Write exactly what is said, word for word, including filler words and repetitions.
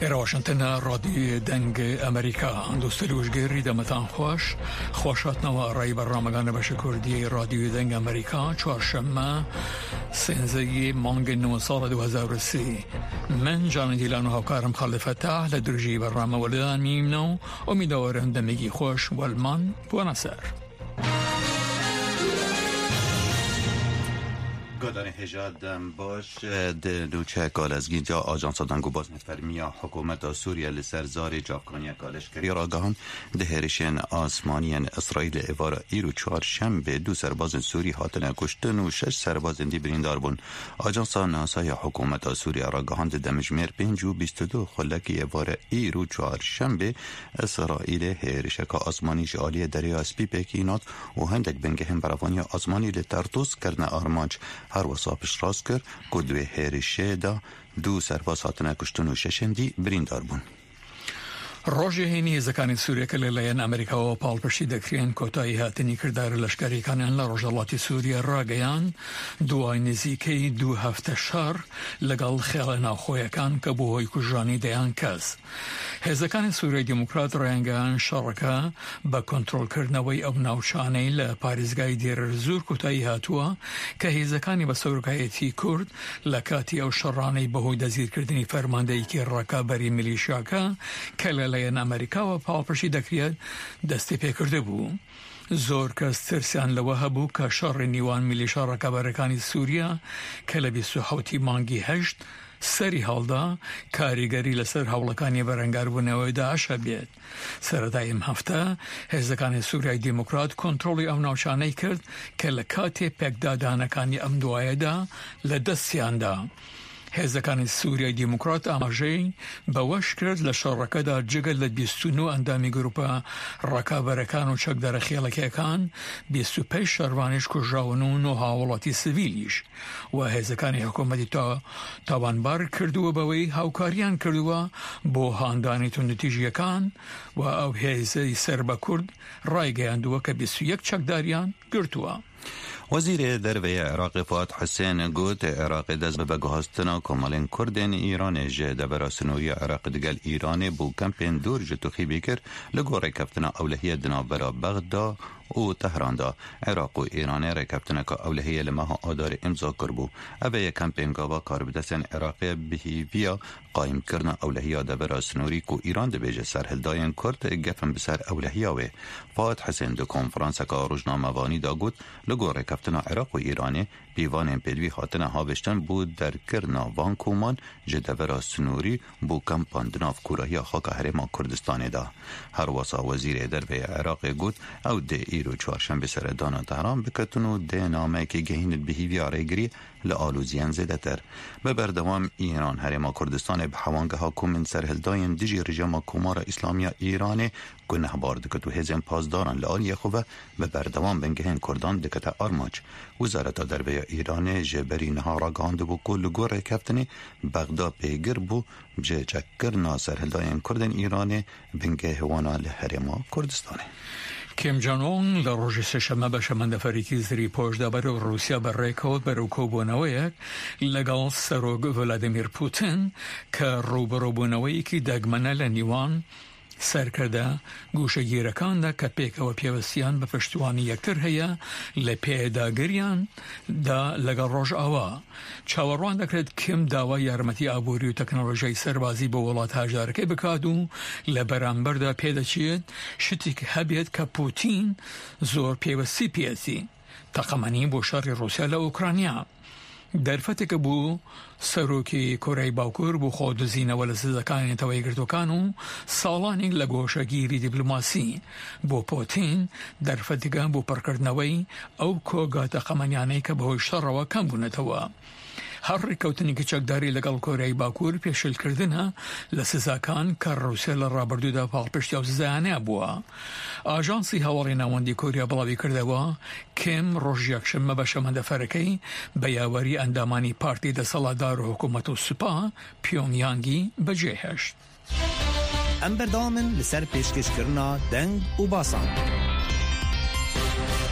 Êra Washington, Radyoyê Deng Amerîka. Dostê li wişgêrî demetan xweş. Xweş hatinava rayî bernamegan li beşa Kurdiyê Radyoyê Deng Amerîka, çarşeme, sêzdehê mangê nû sala du hezar û sî. Min Canê Dîlan û hevkarim Xalid Fetah li dirûjî bername weledan mîmne û umîdawar im demekî xweş welman bûne ser. Godarên hêja dem baş, di nûçeyeka lezgîn de Ajansa Deng û Bazên Fermî ya Hikûmeta Sûriye li ser zarê çavkaniyeka leşkerî ragihand, di hêrişên asmanî yên Îsraîlê êvara îro çarşembê du serbazên Sûrî hatine kuştin û şeş serbazên dî birîndar bûn. Ajansa NASA ya Hikûmeta Sûriye ragihand, di demjimêr pênc û bîst û du xulekî êvara îro çarşembê Îsraîlê hêrişeka asmanî ji aliyê Derya Spî pêkî nat û hindek bingehên berevaniya asmanî li Tertûs kirine armanc. Her wisa piştrast kir ku di wê hêrişê de du serbaz hatine kuştin û şeşên dî birîndar bûn. Rojê hênî hêzekanên Sûriye ke li layen Amerîkawa palpiştî dekirên kotayî hatinî kirdara leşkerîkaniyan li rojhelatê Sûriye rageyand, duway nizîkey du hefte şer legal xiyala navxweyekan ke bû hoy kujanî deyan kes. Hêzekanên Sûriyeyê Demokrat rayengehand şereke bi kontrolkirinewey ew navçaney li parêzgayê Dêr el Zûr kotayî hatuwe ke hêzekanê bi serokayetî Kurd li katî ew şeraney bi hoy dezgîrkirdinî fermandeyekî rekaberî milîşyake ke li layen Amerîkawa palpiştî dekiriye destê pê kirdibû. Zor kes tirsiyan li we hebû ke şerê nîwan milîşa rekaberekanî Sûriye ke li bîst û hewtî mangî heşt serî hal da, karîgerî li ser hewlekaniyê berengarbûnê wê DAIŞ hebêt. Sereta em hefte, hêzekanê Sûriyeyê Demokrat kontrolê ew navçaney kir ke li katê pêkdadanekaniya em duwaye de li destiyan da. Hêzekanê Sûriyeyê Demokrat amajeyê bi weş kir, li şereke de cigir li bîst û nû endamê grûpa rekaberekan û çekdara xiyalekekan, bîst û pênc şervanê jî kujrawin û nû hawelatî sivîlî jî. We hêzekanê hikûmetê ta-, tawanbar kirduwe, bi wê hawkariyan kirduwe bo handanê tundûtîjiyekan. We ew hêzê serbe Kurd raygeyandiwe ke bîst û yek çekdariyan girtuwe. Wezîrê Derve yê Iraqê Fuat Husên got, Iraqê dest bi veguhastina komelên Kurdên Îranê ji devera sinoyiya Iraqê digel Îranê bo kempên dûr ji Tuxîbî kir, li gor rêkeftina ewlehiyê di navbera Bexda û Tehran de. Iraq û Îranê rêkeftineka ewlehiyê li meha Adarê îmza kiribû. Ev ê yekempên gava karbidestên Iraqê bi hêviya qayîmkirina ewlehiya devera snorî ku Îran dibêje serhildayên Kurd gef in bi ser ewlehiya wê. Fuat Husên di konferanseka rojnamevanî de got, li gor rêkeftina Iraq û Îranê pîvanên pêdivî hatine havêştin bo derkirina van koman ji devera snorî bo kempan di nav kûrahiya xaka Herêma Kurdistanê de. Her wisa Wezîrê Derve yê Iraqê got, ew dê îro çarşembê seredana Tehran biketin û dê nameyekê gehînin bi hîviya rêgirî li aloziyên zêdetir. Bi berdewam Îran Herêma Kurdistanê bi hewangeha komên serhildayên dijî rejîma Komara Îslamî ya Îranê gunehbar dikit û hêzên pasdaran li aliyê xwe ve bi berdewam bingehên Kurdan dikete armanc. Wezareta Derve ya Îranê ji berî niha ragihandibû ku li gor rêkeftinê Bexda pêgir bû ji çekkirina serhildayên Kurdên Îranê bingehê wana li Herêma Kurdistanê. Kim Jong-un li rojê sêşemê bi şemendeferekî zirî poş da berî Rûsya bi rê kewt berî kobûneweyek legal Serok Vladimir Putin ke rûbirûbûneweyekî degmene li nîwan serkirde goşegîrekan de ke pêkeve pêwestiyan bi piştvanî yektir heye, li pêdagiriyan de legal Rojava. Çaverwan dikirit Kim dawa yarmetî aborî û teknolojiyayê serbazî bo welat hejdarekê bikat û li beramber de pê diçît şitîk hebêt ke Putin zor pêwestî pêtî teqemenî bo şerê Rûsya li Ukrayna. Derfeteke bû serokê Koreyê Bakur bo xwe dizîne we li sizekanên Neteweyê Yekgirtûkan û salanî li goşegîrî dîplomasî. Bo Putin derfeteke bo pirkirdinewey ew koga teqemeniyanê ke bi hoy şerrewe kem bûnetewe. Her rêkewtinekî çekdarî legal Koreyê Bakur pêşilkirine li sizakan ke Rûsya li rabirdû de palpiştiya ew sizayanê bûye. Ajansî Hevalên Navendî Korya bilavî kirdewa, Kim roj yekşemê bi şemendeferekey bi yawerî endamanî partî desthilatdar û hikûmet û sipa Pyongyangî bi cê heşt. Em berdewam in li ser pêşkêşkirina deng û basan.